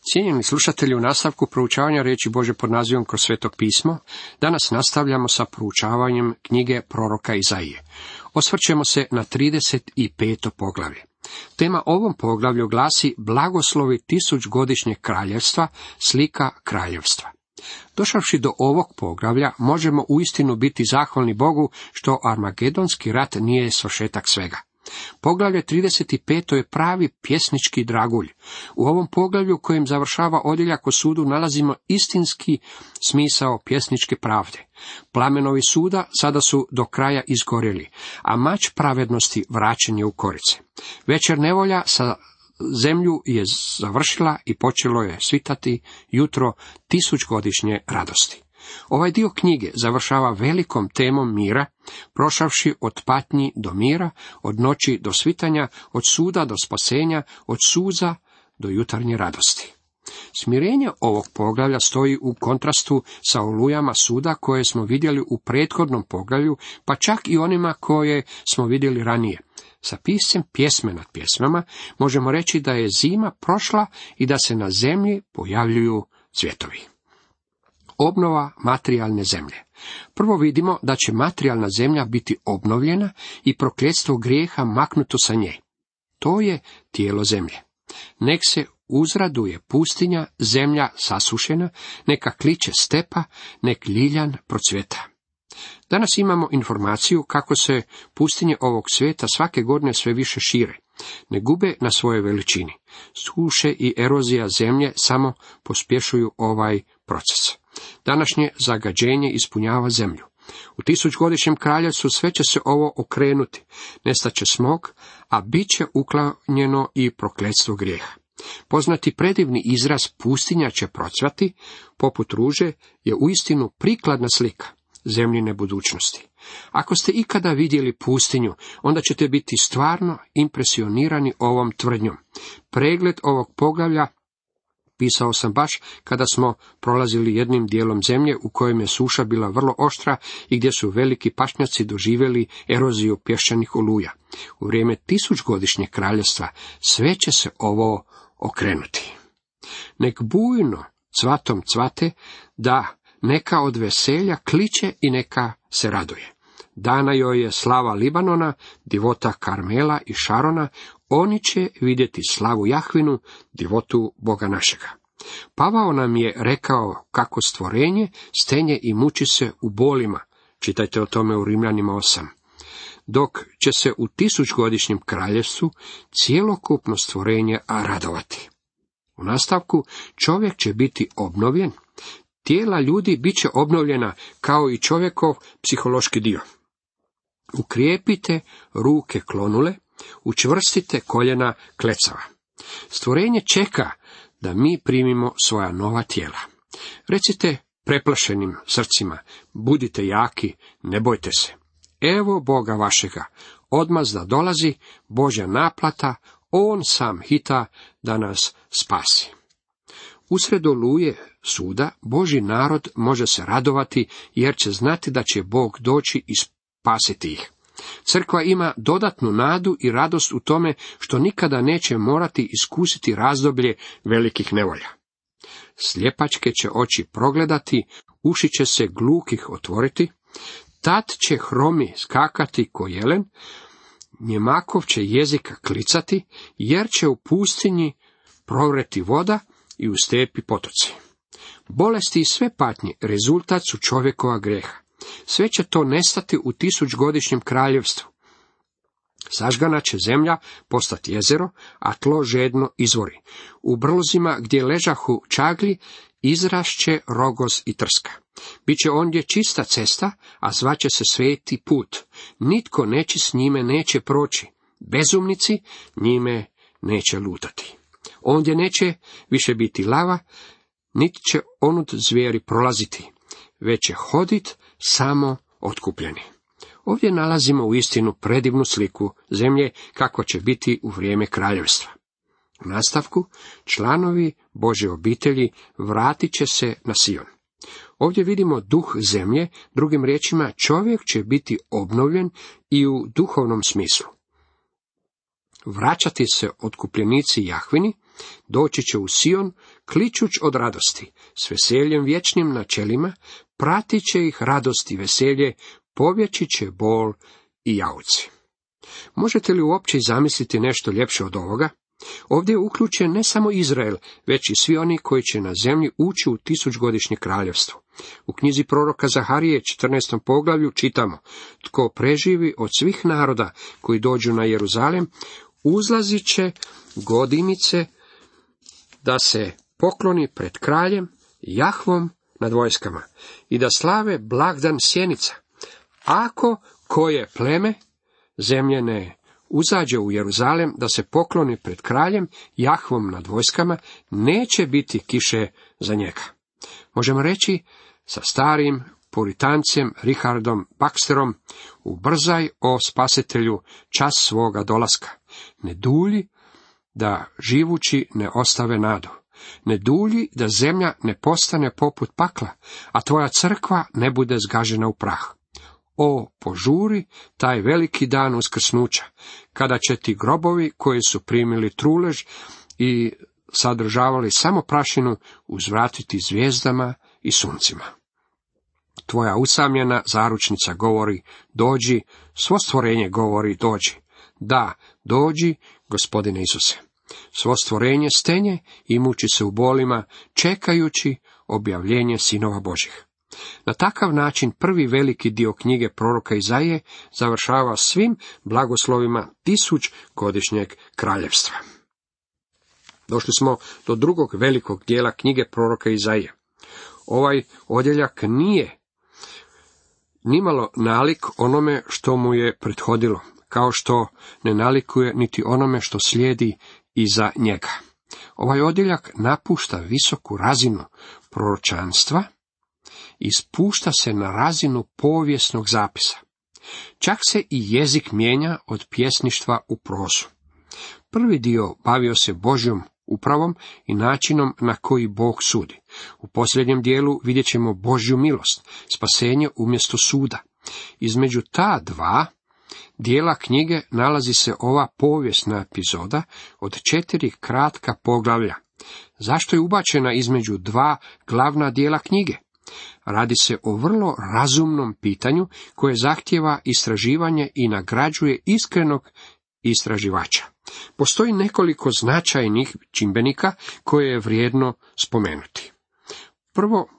Cijenjeni slušatelji, u nastavku proučavanja riječi Božje pod nazivom Kroz sveto pismo, danas nastavljamo sa proučavanjem knjige proroka Izaije. Osvrćemo se na 35. poglavlje. Tema ovom poglavlju glasi Blagoslovi tisućgodišnjeg kraljevstva, slika kraljevstva. Došavši do ovog poglavlja, možemo uistinu biti zahvalni Bogu što Armagedonski rat nije svršetak svega. Poglavlje 35. je pravi pjesnički dragulj. U ovom poglavlju kojim završava odjeljak o sudu nalazimo istinski smisao pjesničke pravde. Plamenovi suda sada su do kraja izgorjeli, a mač pravednosti vraćen je u korice. Večer nevolja sa zemlju je završila i počelo je svitati jutro tisućgodišnje radosti. Ovaj dio knjige završava velikom temom mira, prošavši od patnji do mira, od noći do svitanja, od suda do spasenja, od suza do jutarnje radosti. Smirenje ovog poglavlja stoji u kontrastu sa olujama suda koje smo vidjeli u prethodnom poglavlju, pa čak i onima koje smo vidjeli ranije. Sa piscem pjesme nad pjesmama možemo reći da je zima prošla i da se na zemlji pojavljuju cvjetovi. Obnova materijalne zemlje. Prvo vidimo da će materijalna zemlja biti obnovljena i prokletstvo grijeha maknuto sa nje. To je tijelo zemlje. Nek se uzraduje pustinja, zemlja sasušena, neka kliče stepa, nek ljiljan procvjeta. Danas imamo informaciju kako se pustinje ovog svijeta svake godine sve više šire. Ne gube na svojoj veličini. Suše i erozija zemlje samo pospješuju ovaj proces. Današnje zagađenje ispunjava zemlju. U tisućgodišnjem kraljevstvu sve će se ovo okrenuti. Nestaće smog, a bit će uklonjeno i prokletstvo grijeha. Poznati predivni izraz pustinja će procvati, poput ruže, je uistinu prikladna slika zemljine budućnosti. Ako ste ikada vidjeli pustinju, onda ćete biti stvarno impresionirani ovom tvrdnjom. Pregled ovog poglavlja pisao sam baš kada smo prolazili jednim dijelom zemlje u kojem je suša bila vrlo oštra i gdje su veliki pašnjaci doživjeli eroziju pješčanih oluja. U vrijeme tisućgodišnjeg kraljevstva sve će se ovo okrenuti. Nek bujno cvatom cvate, da neka od veselja kliče i neka se raduje. Dana joj je slava Libanona, divota Karmela i Šarona, oni će vidjeti slavu Jahvinu, divotu Boga našega. Pavao nam je rekao kako stvorenje stenje i muči se u bolima, čitajte o tome u Rimljanima 8. Dok će se u tisućgodišnjem kraljevstvu cjelokupno stvorenje radovati. U nastavku čovjek će biti obnovljen, tijela ljudi bit će obnovljena kao i čovjekov psihološki dio. Ukrijepite ruke klonule, učvrstite koljena klecava. Stvorenje čeka da mi primimo svoja nova tijela. Recite preplašenim srcima, budite jaki, ne bojte se. Evo Boga vašega, odmazda dolazi, Božja naplata, on sam hita da nas spasi. Usred oluje suda Božji narod može se radovati jer će znati da će Bog doći i spasiti ih. Crkva ima dodatnu nadu i radost u tome što nikada neće morati iskusiti razdoblje velikih nevolja. Sljepačke će oči progledati, uši će se glukih otvoriti, tad će hromi skakati ko jelen, njemakov će jezika klicati, jer će u pustinji provreti voda i u stepi potoci. Bolesti i sve patnje rezultat su čovjekova grijeha. Sve će to nestati u tisućgodišnjem kraljevstvu. Sažgana će zemlja postati jezero, a tlo žedno izvori. U brlozima gdje ležahu čagli izrašće rogoz i trska. Biće ondje čista cesta, a zvaće se sveti put. Nitko nečist njime neće proći. Bezumnici njime neće lutati. Ondje neće više biti lava, niti će onud zvijeri prolaziti, već će hodit samo otkupljeni. Ovdje nalazimo uistinu predivnu sliku zemlje kako će biti u vrijeme kraljevstva. U nastavku, članovi Božje obitelji vratit će se na Sion. Ovdje vidimo duh zemlje, drugim riječima čovjek će biti obnovljen i u duhovnom smislu. Vraćati se otkupljenici Jahvini, Doći će u Sion, kličuć od radosti, s veseljem vječnim na čelima, pratit će ih radost i veselje, pobjeći će bol i jauci. Možete li uopće zamisliti nešto ljepše od ovoga? Ovdje je uključen ne samo Izrael, već i svi oni koji će na zemlji ući u 1000-godišnje kraljevstvo. U knjizi proroka Zaharije, 14. poglavlju, čitamo: tko preživi od svih naroda koji dođu na Jeruzalem, uzlazit će godinice da se pokloni pred kraljem Jahvom nad vojskama i da slave blagdan sjenica. Ako koje pleme zemlje ne uzađe u Jeruzalem da se pokloni pred kraljem Jahvom nad vojskama, neće biti kiše za njega. Možemo reći sa starim puritancem Richardom Baxterom: ubrzaj, o spasitelju, čas svoga dolaska. Ne dulji da živući ne ostave nadu. Ne dulji da zemlja ne postane poput pakla, a tvoja crkva ne bude zgažena u prah. O, požuri taj veliki dan uskrsnuća, kada će ti grobovi koji su primili trulež i sadržavali samo prašinu uzvratiti zvijezdama i suncima. Tvoja usamljena zaručnica govori: dođi, svo stvorenje govori: dođi. Da, dođi, Gospodine Isuse. Svo stvorenje stenje i muči se u bolima, čekajući objavljenje sinova Božih. Na takav način prvi veliki dio knjige proroka Izaije završava svim blagoslovima 1000-godišnjeg kraljevstva. Došli smo do drugog velikog dijela knjige proroka Izaije. Ovaj odjeljak nije nimalo nalik onome što mu je prethodilo, kao što ne nalikuje niti onome što slijedi iza njega. Ovaj odjeljak napušta visoku razinu proročanstva i spušta se na razinu povijesnog zapisa. Čak se i jezik mijenja od pjesništva u prozu. Prvi dio bavio se Božjom upravom i načinom na koji Bog sudi. U posljednjem dijelu vidjet ćemo Božju milost, spasenje umjesto suda. Između ta dva dijela knjige nalazi se ova povijesna epizoda od 4 kratka poglavlja. Zašto je ubačena između dva glavna dijela knjige? Radi se o vrlo razumnom pitanju koje zahtijeva istraživanje i nagrađuje iskrenog istraživača. Postoji nekoliko značajnih čimbenika koje je vrijedno spomenuti. Prvo,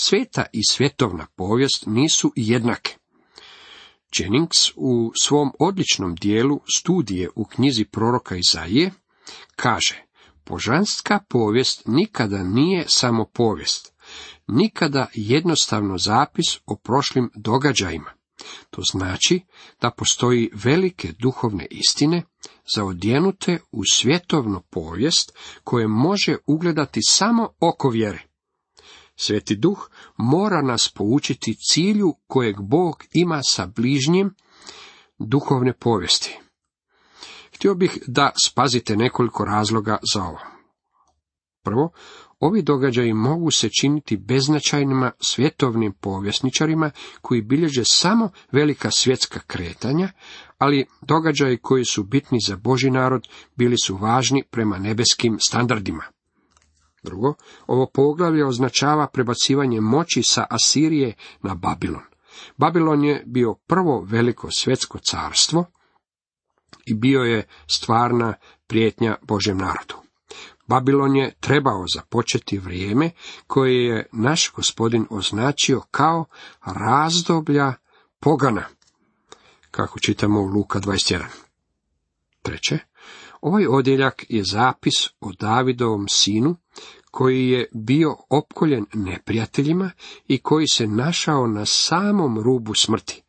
sveta i svjetovna povijest nisu jednake. Jennings u svom odličnom dijelu studije u knjizi proroka Izaije kaže: božanska povijest nikada nije samo povijest, nikada jednostavno zapis o prošlim događajima. To znači da postoji velike duhovne istine zaodjenute u svjetovnu povijest koje može ugledati samo oko vjere. Sveti Duh mora nas poučiti cilju kojeg Bog ima sa bližnjim duhovne povijesti. Htio bih da spazite nekoliko razloga za ovo. Prvo, ovi događaji mogu se činiti beznačajnima svjetovnim povjesničarima koji bilježe samo velika svjetska kretanja, ali događaji koji su bitni za Božji narod bili su važni prema nebeskim standardima. Drugo, ovo poglavlje označava prebacivanje moći sa Asirije na Babilon. Babilon je bio prvo veliko svjetsko carstvo i bio je stvarna prijetnja Božjem narodu. Babilon je trebao započeti vrijeme koje je naš Gospodin označio kao razdoblja pogana, kako čitamo u Luka 21. Treće, ovaj odjeljak je zapis o Davidovom sinu koji je bio opkoljen neprijateljima i koji se našao na samom rubu smrti,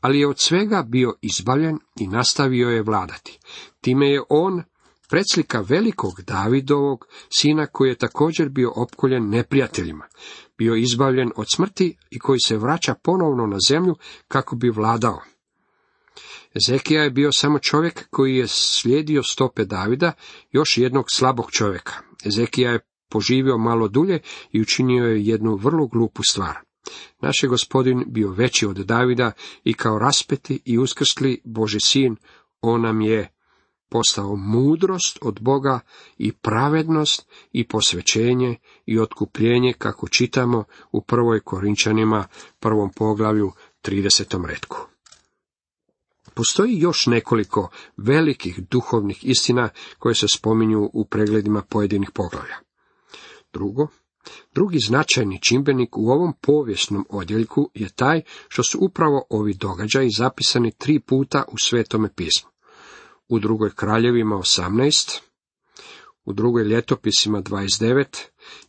ali je od svega bio izbavljen i nastavio je vladati. Time je on predslika velikog Davidovog sina koji je također bio opkoljen neprijateljima, bio izbavljen od smrti i koji se vraća ponovno na zemlju kako bi vladao. Ezekija je bio samo čovjek koji je slijedio stope Davida, još jednog slabog čovjeka. Ezekija je poživio malo dulje i učinio je jednu vrlo glupu stvar. Naš je Gospodin bio veći od Davida i kao raspeti i uskrsli Božji sin, on nam je postao mudrost od Boga i pravednost i posvećenje i otkupljenje, kako čitamo u 1. Korinčanima 1. poglavlju 30. retku. Postoji još nekoliko velikih duhovnih istina koje se spominju u pregledima pojedinih poglavlja. Drugi značajni čimbenik u ovom povijesnom odjeljku je taj što su upravo ovi događaji zapisani 3 puta u Svetome pismu. U 2. Kraljevima 18, u 2. Ljetopisima 29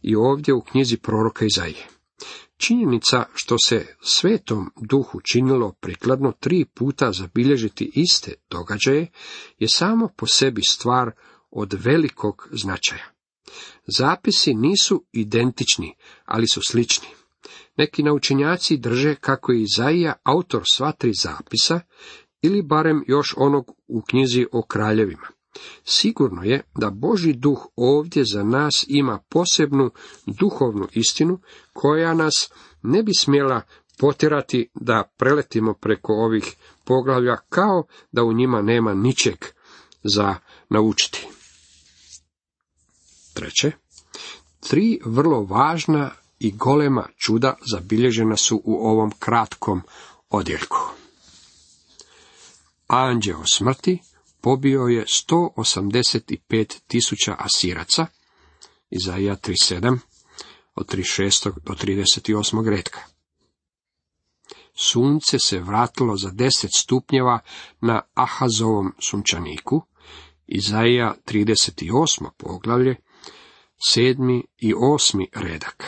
i ovdje u knjizi proroka Izaije. Činjenica što se Svetom Duhu činilo prikladno 3 puta zabilježiti iste događaje je samo po sebi stvar od velikog značaja. Zapisi nisu identični, ali su slični. Neki naučenjaci drže kako je Izaija autor sva 3 zapisa, ili barem još onog u knjizi o kraljevima. Sigurno je da Božji duh ovdje za nas ima posebnu duhovnu istinu koja nas ne bi smjela potjerati da preletimo preko ovih poglavlja kao da u njima nema ničeg za naučiti. 3. 3 vrlo važna i golema čuda zabilježena su u ovom kratkom odjeljku. Anđeo smrti pobio je 185.000 Asiraca, Izaija 37, od 36. do 38. retka. Sunce se vratilo za 10 stupnjeva na Ahazovom sunčaniku, Izaija 38. poglavlje, 7. i 8. redak.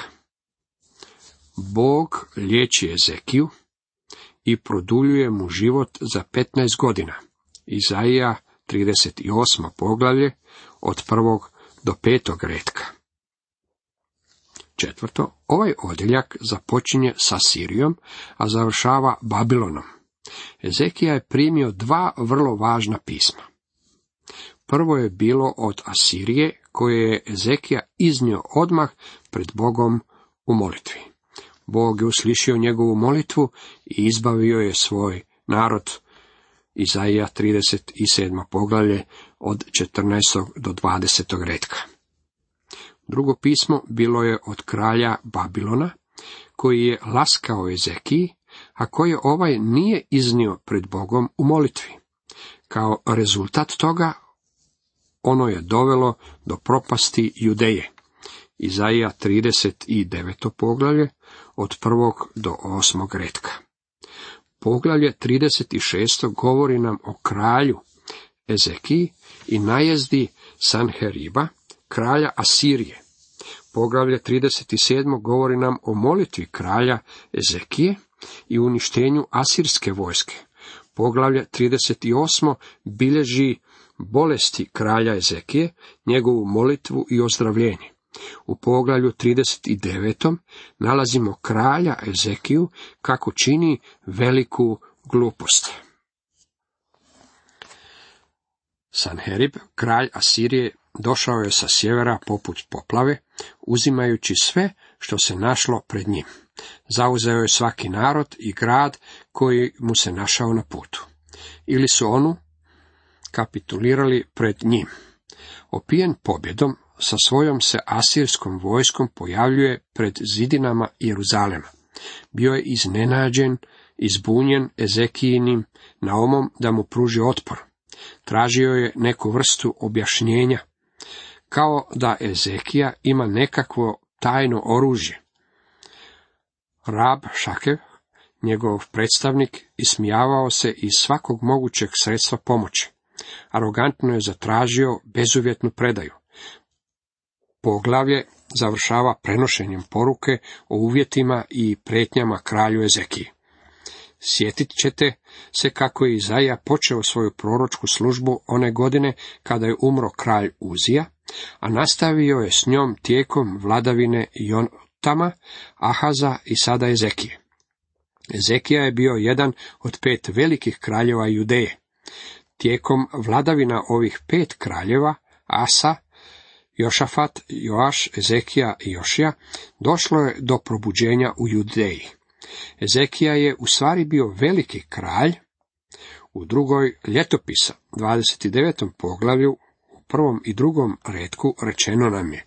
Bog liječi Ezekiju i produljuje mu život za 15 godina. Izaija 38. poglavlje od 1. do 5. retka. 4. Ovaj odjeljak započinje sa Sirijom, a završava Babilonom. Ezekija je primio 2 vrlo važna pisma. Prvo je bilo od Asirije, koje je Ezekija iznio odmah pred Bogom u molitvi. Bog je uslišio njegovu molitvu i izbavio je svoj narod. Izaija 37. poglavlje od 14. do 20. retka. Drugo pismo bilo je od kralja Babilona, koji je laskao Ezekiji, a koje ovaj nije iznio pred Bogom u molitvi. Kao rezultat toga, ono je dovelo do propasti Judeje. Izaija 39. poglavlje od 1. do 8. retka. Poglavlje 36. govori nam o kralju Ezekiji i najezdi Sanheriba, kralja Asirije. Poglavlje 37. govori nam o molitvi kralja Ezekije i uništenju asirske vojske. Poglavlje 38. bilježi bolesti kralja Ezekije, njegovu molitvu i ozdravljenje. U poglavlju 39. nalazimo kralja Ezekiju kako čini veliku glupost. Sanherib, kralj Asirije, došao je sa sjevera poput poplave, uzimajući sve što se našlo pred njim. Zauzeo je svaki narod i grad koji mu se našao na putu. Ili su onu kapitulirali pred njim. Opijen pobjedom, sa svojom se asirskom vojskom pojavljuje pred zidinama Jeruzalema. Bio je iznenađen i zbunjen Ezekijinim naumom da mu pruži otpor. Tražio je neku vrstu objašnjenja, kao da Ezekija ima nekakvo tajno oružje. Rab Šakev, njegov predstavnik, ismijavao se iz svakog mogućeg sredstva pomoći. Arogantno je zatražio bezuvjetnu predaju. Poglavlje završava prenošenjem poruke o uvjetima i prijetnjama kralju Ezekiji. Sjetit ćete se kako je Izaija počeo svoju proročku službu one godine kada je umro kralj Uzija, a nastavio je s njom tijekom vladavine Jotama, Ahaza i sada Ezekije. Ezekija je bio jedan od 5 velikih kraljeva Judeje. Tijekom vladavina ovih 5 kraljeva, Asa, Jošafat, Joaš, Ezekija i Jošija, došlo je do probuđenja u Judeji. Ezekija je u stvari bio veliki kralj U drugoj ljetopisa, 29. poglavlju, u 1. i 2. retku rečeno nam je: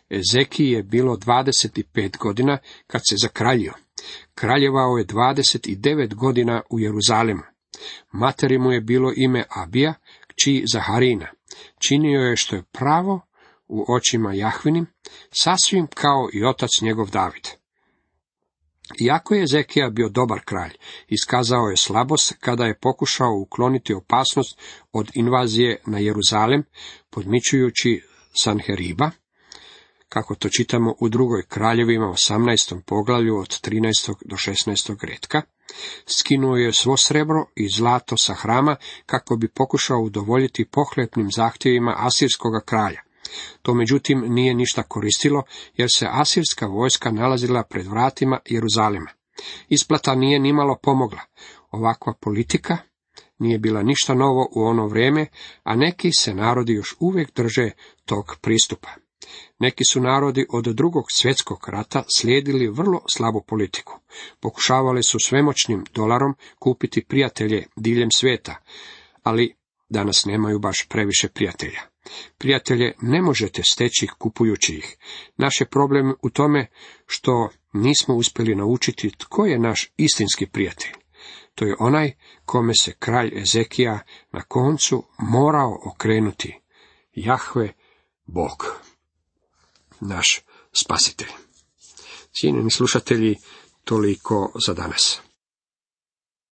Ezekiji je bilo 25 godina kad se zakraljio. Kraljevao je 29 godina u Jeruzalemu. Materi mu je bilo ime Abija, kći Zaharina. Činio je što je pravo u očima Jahvinim, sasvim kao i otac njegov David. Iako je Ezekija bio dobar kralj, iskazao je slabost kada je pokušao ukloniti opasnost od invazije na Jeruzalem, podmićujući Sanheriba, kako to čitamo u drugoj kraljevima 18. poglavlju od 13. do 16. retka. Skinuo je svo srebro i zlato sa hrama kako bi pokušao udovoljiti pohlepnim zahtjevima asirskoga kralja. To međutim nije ništa koristilo, jer se asirska vojska nalazila pred vratima Jeruzalema. Isplata nije nimalo pomogla. Ovakva politika nije bila ništa novo u ono vrijeme, a neki se narodi još uvijek drže tog pristupa. Neki su narodi od Drugog svjetskog rata slijedili vrlo slabu politiku. Pokušavali su svemoćnim dolarom kupiti prijatelje diljem svijeta, ali danas nemaju baš previše prijatelja. Prijatelje ne možete steći kupujući ih. Naš je problem u tome što nismo uspjeli naučiti tko je naš istinski prijatelj. To je onaj kome se kralj Ezekija na koncu morao okrenuti. Jahve Bog, naš spasitelj. Cijenjeni slušatelji, toliko za danas.